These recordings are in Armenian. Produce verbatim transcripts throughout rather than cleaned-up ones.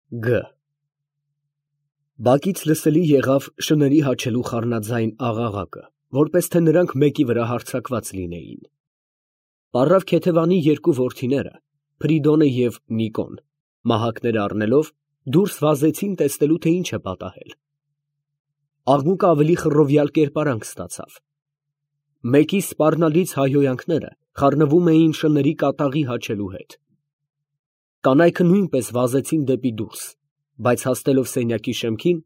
Գ Բակից լսելի եղավ շների հաչելու խառնաձայն աղաղակը, որպես թե նրանք մեկի վրա հարձակված լինեին։ Պառավ Քեթևանի երկու որդիները, Փրիդոնը և Նիկոն, մահակները առնելով, դուրս վազեցին տեսնելու, թե ինչ է պատահել։ Աղմուկը ավելի խռովյալ կերպարանք ստացավ։ Մեկի սպառնալից հայհոյանքները խառնվում էին շների կատաղի հաչելու հետ։ Կանայքը նույնպես վազեցին դեպի դուրս, բայց հասնելով սենյակի շեմքին,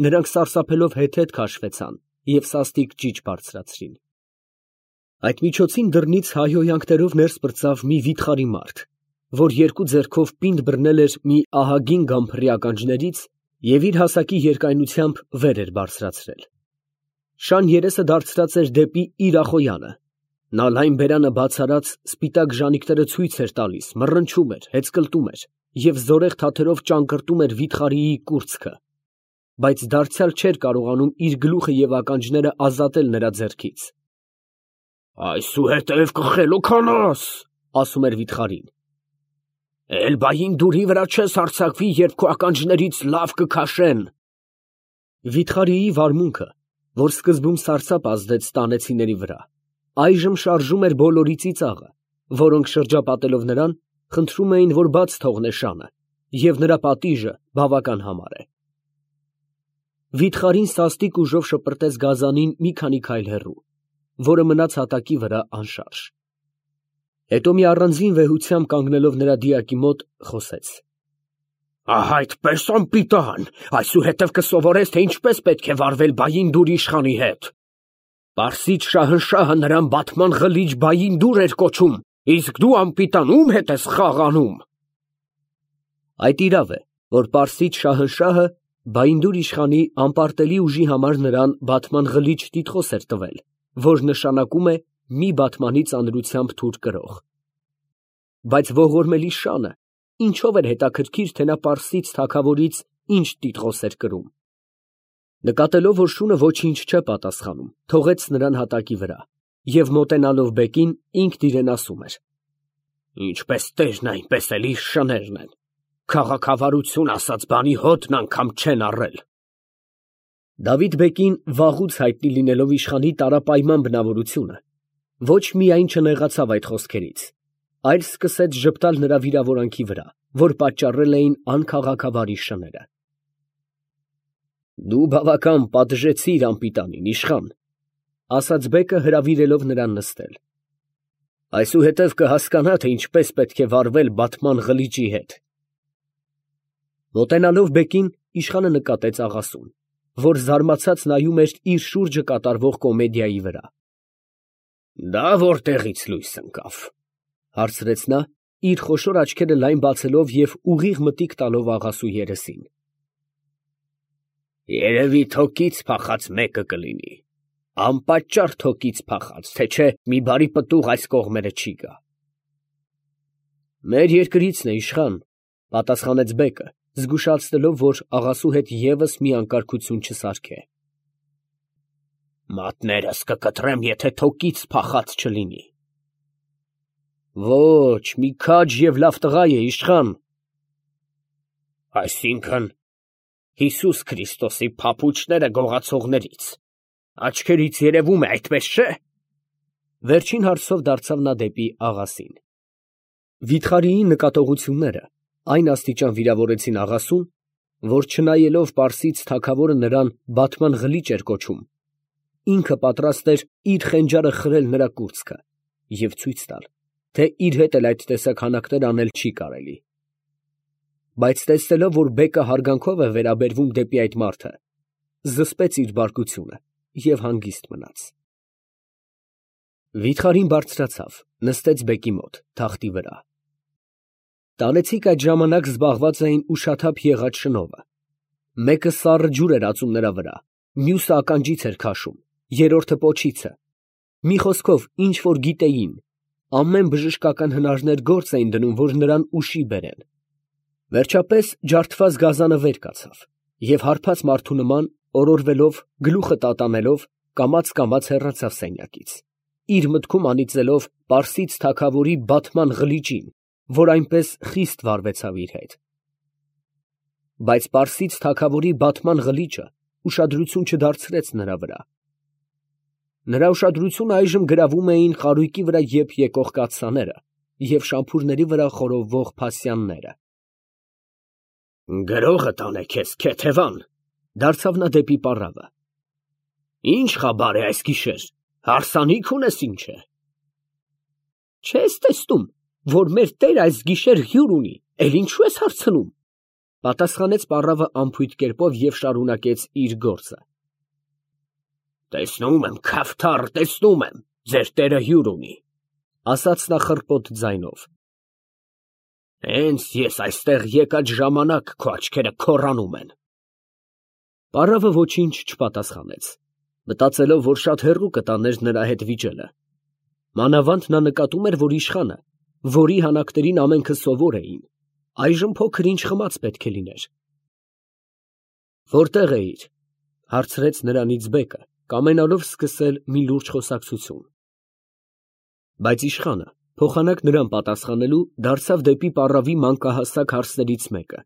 նրանք սարսափելով հետհետ քաշվեցան և սաստիկ ճիչ բարձրացրին։ Այդ միջոցին դռնից հայհոյանքներով ներս պրծավ մի վիթխարի մարդ, որ երկու ձեռքով պինդ բռնել էր մի ահագին գամփռի ականջներից և իր հասակի երկայնությամբ վեր էր բարձրացրել։ Շան երեսը դարձրած էր դեպի իր ախոյանը, նա լայն բերանը բաց արած սպիտակ ժանիքները ցույց էր տալիս, մռնչում էր, հեծկլտում էր և զորեղ թաթերով ճանկռտում էր վիթխարիի կուրծքը, բայց դարձյալ չէր կարողանում իր գլուխը և ականջները ազատել նրա ձեռքից։ «Այսուհետև կխելոք անաս, ֊ ասում էր վիթխարին, ֊ էլ բայնդուրի վրա չես հարձակվի, երբ քո ականջներից լավ կքաշեն»։ Վիթխարիի վարմունքը, որ սկզբում սարսափ ազդեց տանեցիների վրա, այժմ շարժում էր բոլորի ծիծաղը, որոնք շրջապատելով նրան, խնդրում էին, որ բաց թողնե շանը, և նրա պատիժը բավական համար է։ Վիթխարին սաստիկ ուժով շպրտեց գազանին մի քանի քայլ հեռու, որը մնաց հատակի վրա անշարժ։ Հետո մի առանձին վեհությամբ կանգնելով նրա դիակի մոտ, խոսեց. «Ահա այդպես անպիտան, այսուհետև կսովորես, թե ինչպես պետք է վարվել Բայնդուր իշխանի հետ։ Պարսից շահնշահը նրան բատման ղլիչ Բայնդուր էր կոչում, իսկ դու անպիտան ո՞ւմ հետ ես խաղ անում»։ Այդ իրավ է, որ պարսից շահնշահը Բայնդուր իշխանի անպարտելի ուժի համար նրան բատման ղլիչ տիտղոս էր տվել, որ նշանակում է մի բատմանի ծանրությամբ թուր կրող։ Բայց ողորմելի շանը ինչով էր հետաքրքիր, թե նա պարսից թագավորից ինչ տիտղոս էր կրում։ Նկատելով, որ շունը ոչինչ չէ պատասխանում, թողեց նրան հատակի վրա և մոտենալով բեկին, ինքն իրեն ասում էր. «Ինչպես տերն, այնպես էլ իր շներն են, քաղաքավարություն ասած բանի հոտն անգամ չեն առել»։ Դավիթ֊բեկին, վաղուց հայտնի լինելով իշխանի տարապայման բնավորությունը, ոչ միայն չնեղացավ այդ խոսքերից, այլ սկսեց ժպտալ նրա վիրավորանքի վրա, որ պատճառել էին անքաղաքավարի շները։ «Դու բավական պատժեցիր անպիտանին, իշխան, ֊ ասաց բեկը, հրավիրելով նրան նստել, ֊ այսուհետև կհասկանա, թե ինչպես պետք է վարվել բատման ղլիճի հետ»։ Մոտենալով բեկին, իշխանը նկատեց աղասուն, որ զարմացած նայում էր իր շուրջը կատարվող կոմեդիայի վրա։ «Դա որտեղից լույս ընկավ, ֊ հարցրեց նա, իր խոշոր աչքերը լայն բացելով և ուղիղ մտիկ տալով աղասու երեսին։ ֊ Երևի թոկից փախած մեկը կլինի, անպատճառ թոկից փախած, թե չէ մի բարի պտուղ այս կողմերը չի գա։ Մեր երկրիցն է, իշխան, ֊ պատասխանեց բեկը, զգուշացնելով, որ աղասու հետ ևս մի անկարգություն չսարքե։ Մատներս կկտրեմ, եթե թոկից փախած չլինի։ Ոչ, մի քաջ և լավ տղա է, իշխան։ Այսինքն Հիսուս Քրիստոսի փափուչները գողացողներից, աչքերից երևում է, այդպես չէ։ Վերջին հարցով դարձավ նա դեպի աղասին։ Վիթխարիի նկատողությունները այն աստիճան վիրավորեցին աղասուն, որ չնայելով պարսից թագավորը նրան բատման ղլիչ էր կոչում, ինքը պատրաստ էր իր խենջարը խրել նրա կուրծքը և ցույց տալ, թե իր հետ էլ այդ տեսակ հանաքներ անել չի կարելի։ Բայց տեսնելով, որ բեկը հարգանքով է վերաբերվում դեպի այդ մարդը, զսպեց իր բարկությունը և հանգիստ մնաց։ Վիթխարին բարձրացավ, նստեց բեկի մոտ, թախտի վրա։ Տանեցիք այդ ժամանակ զբաղված էին ուշաթափ եղած շնովը։ Մեկը սառը ջուր էր ածում նրա վրա, մյուսը ականջից էր քաշում, երրորդը պոչիցը։ Մի խոսքով, ինչ որ գիտեին, ամեն բժշկական հնարներ գործ էին դնում, որ նրան ուշի բերեն։ Վերջապես ջարդված գազանը վեր կացավ և հարբած մարդու նման, օրորվելով, գլուխը տատանելով, կամաց֊կամաց հեռացավ սենյակից, իր մտքում անիծելով պարսից թագավորի բատման ղլիճին, որ այնպես խիստ վարվեցավ իր հետ։ բայց պարսից թագավորի բատման ղլիճը ուշադրություն չդարձրեց նրա վրա։ Նրա ուշադրությունը այժմ գրավում էին խարույկի վրա եփ եկող կաթսաները և շամփուրների վրա խորովվող փասյանները։ «Գրողը տանե քեզ, քեթևան», դարձավ նա դեպի պառավը։ «Ի՞նչ խաբար է այս գիշեր, հարսանիք ունես ինչ է»։ «Չես տեսնում, որ մեր տերը այս գիշեր հյուր ունի, էլ ինչու ես հարցնում», պատասխանեց պառավը անփույթ կերպով և շարունակեց իր գործը։ «Տեսնում եմ, քավթառ, տեսնում եմ, ձեր տերը հյուր ունի», ասաց նա խռպոտ ձայնով։ «Հենց ես այստեղ եկած ժամանակ քո աչքերը քոռանում են»։ Պառավը ոչինչ չպատասխանեց, մտածելով, որ շատ հեռու կտաներ նրա հետ վիճելը։ Մանավանդ նա նկատում էր, որ իշխանը, որի հանակներին ամենքը սովոր էին, այժմ փոքր-ինչ խմած պետք է լիներ։ «Որտե՞ղ էիր», հարցրեց նրանից բեկը, կամենալով սկսել մի լուրջ խոսակցություն։ Բայց իշխանը, փոխանակ նրան պատասխանելու, դարձավ դեպի պառավի մանկահասակ հարսներից մեկը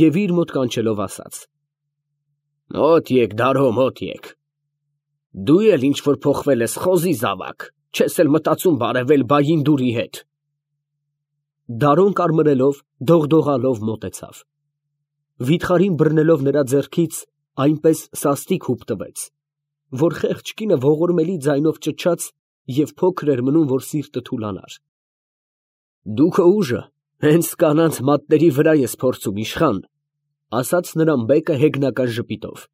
և իր մոտ կանչելով ասաց. «Մոտ եկ, Դարո, մոտ եկ։ Դու էլ ինչ որ փոխվել ես, խոզի զավակ, չես էլ մտածում բարևել Բայինդուրի հետ»։ Դարոն կարմրելով, դողդողալով մոտեցավ։ Վիթխարին բռնելով նրա ձեռքից այնպես սաստիկ հուպ տվեց, որ խեղճ կինը ողորմելի ձայնով ճչաց և փոքր էր մնում, որ սիրտը թուլանար։ «Դու քո ուժը հենց կանանց մատների վրա ես փորձում, իշխան», ասաց նրան բեկը հեգնական ժպիտով։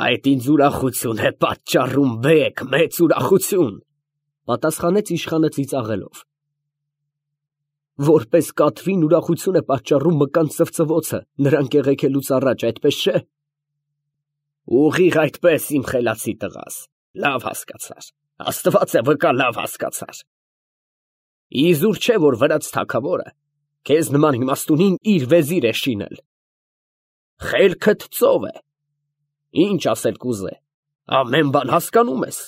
«Այդ ինձ ուրախություն է պատճառում, բեկ, մեծ ուրախություն», պատասխանեց իշխանը ծիծաղելով։ «Որպես կատվին ուրախություն է պատճառում մկան ծվծվոցը նրան կեղեքելուց առաջ, այդպես չէ»։ «Ուղիղ այդպես, իմ խելացի տղաս, լավ հասկացար, Աստված է վկա, լավ հասկացար։ Իզուր չէ, որ վրաց թագավորը քեզ նման իմաստունին իր վեզիր է շինել։ Խելքդ ծով է, ինչ ասել կուզե, ամեն բան հասկանում ես»։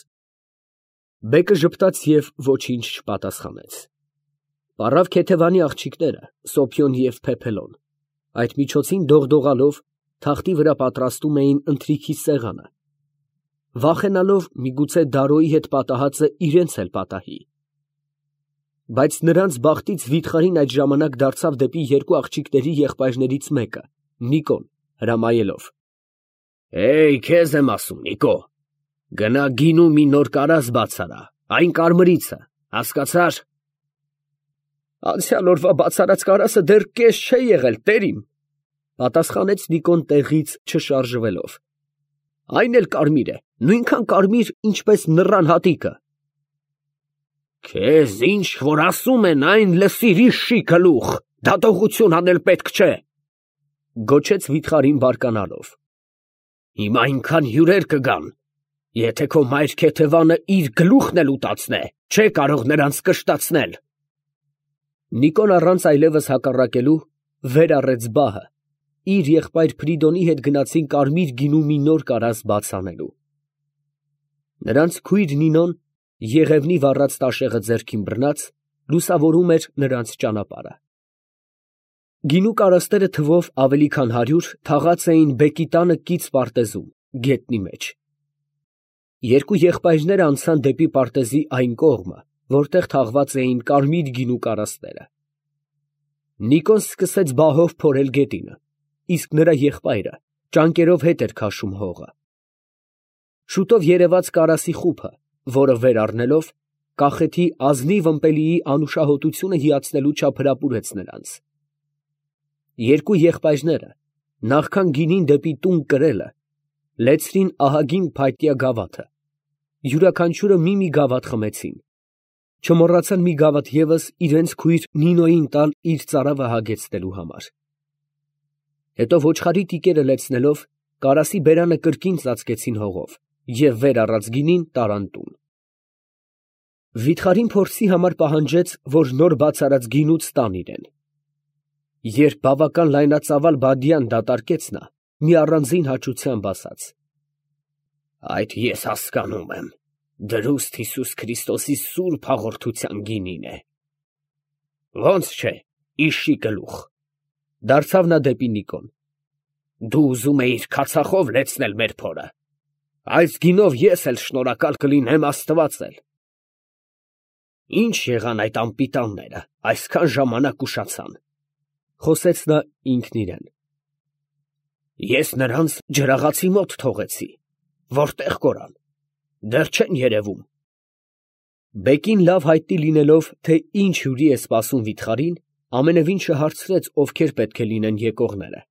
Բեկը ժպտաց և ոչինչ չպատասխանեց։ Պառավ Քեթևանի աղջիկները, Սոփյոն և Փեփելոն, այդ միջոցին դողդողալով թախտի վրա պատրաստում էին ընթրիքի սեղանը, վախենալով միգուցե Դարոյի հետ պատահածը իրենց էլ պատահի։ Բայց նրանց բախտից վիթխարին այդ ժամանակ դարձավ դեպի երկու աղջիկների եղբայրներից մեկը, Նիկոն, հրամայելով. «Էյ, քեզ եմ ասում, Նիկո, գնա գինու մի նոր կարաստ բաց արա, այն կարմրիցը, հասկացա՞ր»։ «Անցյալ օրվա բաց արած կարասը դեռ կես չէ եղել, տերիմ», պատասխանեց Նիկոն տեղից չշարժվելով։ «Այն էլ կարմիր է, նույնքան կարմիր, ինչպես նռան հատիկը»։ «Քեզ ինչ որ ասում են, այն լսիր, իշի գլուխ, դատողություն անել պետք չէ», գոչեց վիթխարին բարկանալով։ «Հիմա այնքան հյուրեր կգան, եթե քո մայր Քեթևանը իր գլուխն էլ ուտացնե, չէ կարող նրանց կշտացնել»։ Նիկոն առանց այլևս հակառակելու վեր առեց բահը, իր եղբայր Փրիդոնի հետ գնացին կարմիր գինու մի նոր կարաստ բաց անելու։ Նրանց քույր Նինոն, եղևնի վառած տաշեղը ձեռքին բռնած, լուսավորում էր նրանց ճանապարհը։ Գինու կարաստերը թվով ավելի քան հարյուր թաղած էին բեկի տանը կից պարտեզում, գետնի մեջ։ Երկու եղբայրները անցան դեպի պարտեզի այն կողմը, որտեղ թաղված էին կարմիր գինու կարաստերը։ Նիկոն սկսեց բահով փորել գետինը, իսկ նրա եղբայրը ճանկերով հետ էր քաշում հողը։ Շուտով երևաց կարասի խուփը, որը վեր առնելով, կախեթի ազնիվ ըմպելիի անուշահոտությունը հիացնելու չափ հրապուրեց նրանց։ Երկու եղբայրները, նախքան գինին դեպի տուն կրելը, լեցրին ահագին փայտյա գավաթը, յուրաքանչյուրը մի֊մի գավաթ խմեցին, չմոռացան մի գավաթ ևս իրենց քույր Նինոյին տալ իր ծարավը հագեցնելու համար։ Հետո ոչխարի տիկերը լեցնելով, կարասի բերանը կրկին ծածկեցին հողով և վեր առած գինին տարան տուն։ Վիթխարին փորձի համար պահանջեց, որ նոր բաց արած գինուց տան իրեն։ Երբ բավական լայնածավալ բադյան դատարկեց նա, մի առանձին հաճությամբ ասաց. «Այդ ես հասկանում եմ, դրուստ Հիսուս Քրիստոսի սուրբ հաղորդության գինին է»։ «Ո՞նց չէ, իշի գլուխ, Դարձավ նա դեպի Նիկոն։ Դու ուզում էիր քացախով լեցնել մեր փորը։ Այս գինով ես էլ շնորհակալ կլինեմ Աստված էլ։ Ինչ եղան այդ անպիտանները, այսքան ժամանակ ուշացան, խոսեց նա ինքն իրեն։ Ես նրանց ջրաղացի մոտ թողեցի, որտեղ կորան, դեռ չեն երևում։ Բեկին լավ հայտնի լինելով, թե ինչ հյուրի է սպասում վիթխարին, ամենևին չհարցրեց, ովքեր պետք է լինեն եկողները։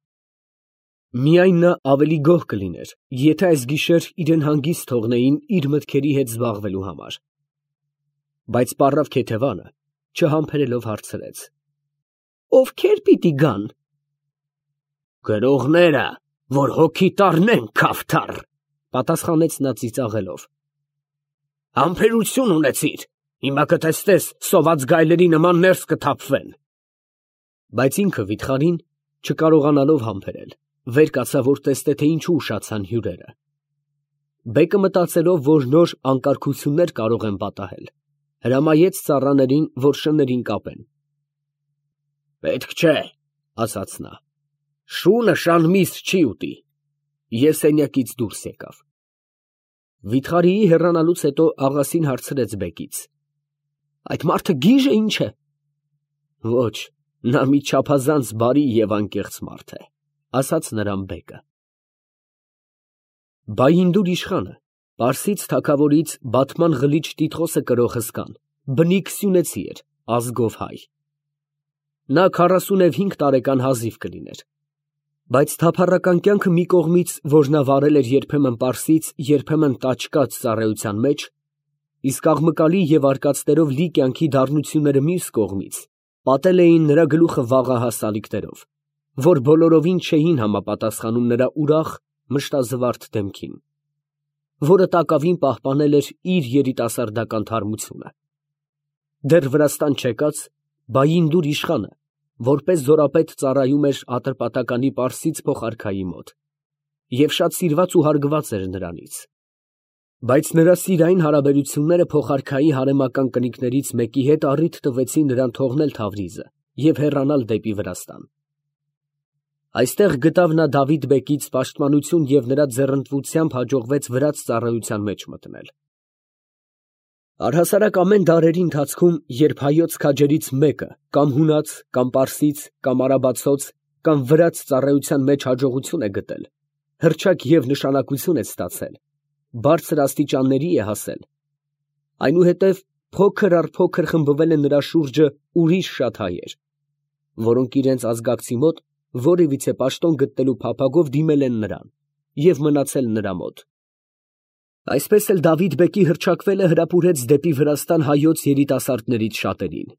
Միայն նա ավելի գոհ կլիներ, եթե այս գիշեր իրեն հանգիստ թողնեին իր մտքերի հետ զբաղվելու համար։ Բայց պառավ Քեթևանը, չհամբերելով հարցրեց. Ովքեր պիտի գան։ Գրողները, որ հոգի տառնեն քավթառ, պատասխանեց նա ծիծաղելով։ Համբերություն ունեցիր, հիմա կտեսնես սոված գայլերի նման ներս կթափվեն։ Բայց ինքը վիթխարին, չկարողանալով համբերել, վեր կացավ, որ տեսնե, թե ինչու ուշացան հյուրերը։ Բեկը մտածելով, որ նոր անկարգություններ կարող են պատահել, հրամայեց ծառաներին, որ շներին կապեն։ Պետք չէ, ասաց նա, շունը շան միս չի ուտի։ Ես սենյակից դուրս եկավ։ Վիթխարիի հեռանալուց հետո աղասին հարցրեց բեկից. Այդ մարդը գիժը ինչ է։ Ոչ, նա մի չափազանց բարի և անկեղծ մարդ է, ասաց նրան բեկը։ Բայինդուր իշխանը, Պարսից թագավորից Բաթման Ղլիչ Տիտղոսը կրող հսկան, բնիկ սյունեցի էր, ազգով հայ։ Նա քառասունևհինգ տարեկան հազիվ կլիներ։ Բայց թափառական կյանքը մի կողմից, որ նա վարել էր երբեմն Պարսից, երբեմն տաճկաց ծառայության մեջ, իսկ աղմկալի և արկածներով լի կյանքի դառնությունները մյուս կողմից, պատել էին նրա գլուխը վաղահաս ալիքներով, որ բոլորովին չէին համապատասխանում նրա ուրախ, մշտազվարթ դեմքին, որը տակավին պահպանել էր իր երիտասարդական թարմությունը։ Դեռ Վրաստան չեկած, Բայինդուր իշխանը, որպես զորապետ ծառայում էր Ատրպատականի Պարսից փոխարքայի մոտ, և շատ սիրված ու հարգված էր նրանից։ Բայց նրա սիրային հարաբերությունները փոխարքայի հարեմական կնիկներից մեկի հետ առիթ տվեցին նրան թողնել Թավրիզը և հեռանալ դեպի Վրաստան։ Այստեղ գտավ նա Դավիթ բեկից պաշտպանություն և նրա ձեռնտվությամբ հաջողվեց վրաց ծառայության մեջ մտնել։ Առհասարակ ամեն դարերի ընթացքում, երբ հայոց քաջերից մեկը կամ հունաց, կամ պարսից, կամ արաբացոց, կամ վրաց ծառայության մեջ հաջողություն է գտել, հռչակ և նշանակություն է ստացել, բարձր աստիճանների է հասել, այնուհետև փոքր առ փոքր խմբվել են նրա շուրջը ուրիշ շատ հայեր, որոնք իրենց ազգակցի մոտ որևիցե պաշտոն գտնելու փափագով դիմել են նրան և մնացել նրա մոտ։ Այսպես էլ Դավիթ բեկի հռչակվելը հրապուրեց դեպի Վրաստան հայոց երիտասարդներից շատերին։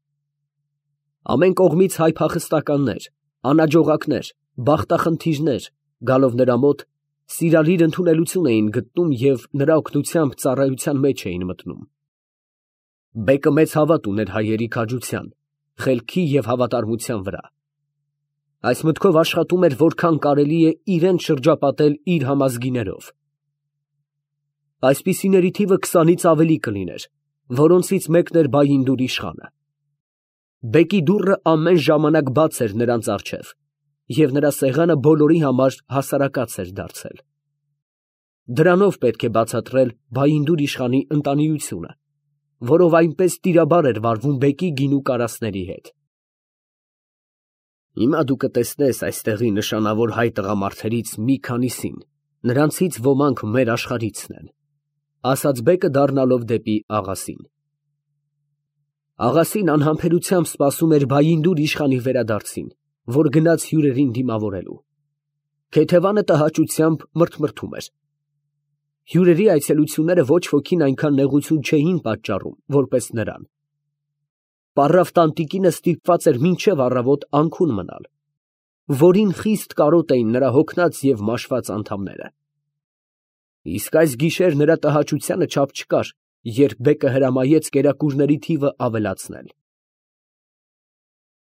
Ամեն կողմից հայ փախստականներ, անաջողակներ, բախտախնդիրներ, գալով նրա մոտ, սիրալիր ընդունելություն էին գտնում և նրա օգնությամբ ծառայության մեջ էին մտնում։ Բեկը մեծ հավատ ուներ հայերի քաջության, խելքի և հավատարմության վրա։ Այս մտքով աշխատում էր, որքան կարելի է իրեն շրջապատել իր համազգիներով։ Այսպիսիների թիվը քսանից ավելի կլիներ, որոնցից մեկն էր Բայինդուր իշխանը։ Բեկի դուռը ամեն ժամանակ բաց էր նրանց առջև, և նրա սեղանը բոլորի համար հասարակած էր դարձել։ Դրանով պետք է բացատրել Բայինդուր իշխանի ընտանիությունը, որով այնպես տիրաբար էր վարվում բեկի գինու կարասների հետ։ Հիմա դու կտեսնես այստեղի նշանավոր հայ տղամարդերից մի քանիսին, նրանցից ոմանք մեր աշխարհիցն են, ասաց բեկը դառնալով դեպի աղասին։ Աղասին անհամբերությամբ սպասում էր Բայինդուր իշխանի վերադարձին, որ գնաց հյուրերին դիմավորելու։ Քեթևանը տհաճությամբ մրթմրթում էր։ Հյուրերի այցելությունները ոչ ոքին այնքան նեղություն չէին պատճառում, որպես նրան։ Պառավ տանտիկինը ստիպված էր մինչև առավոտ անքուն մնալ, որին խիստ կարոտ էին նրա հոգնած և մաշված անդամները։ Իսկ այս գիշեր նրա տհաճությանը չափ չկար, երբ բեկը հրամայեց կերակուրների թիվը ավելացնել։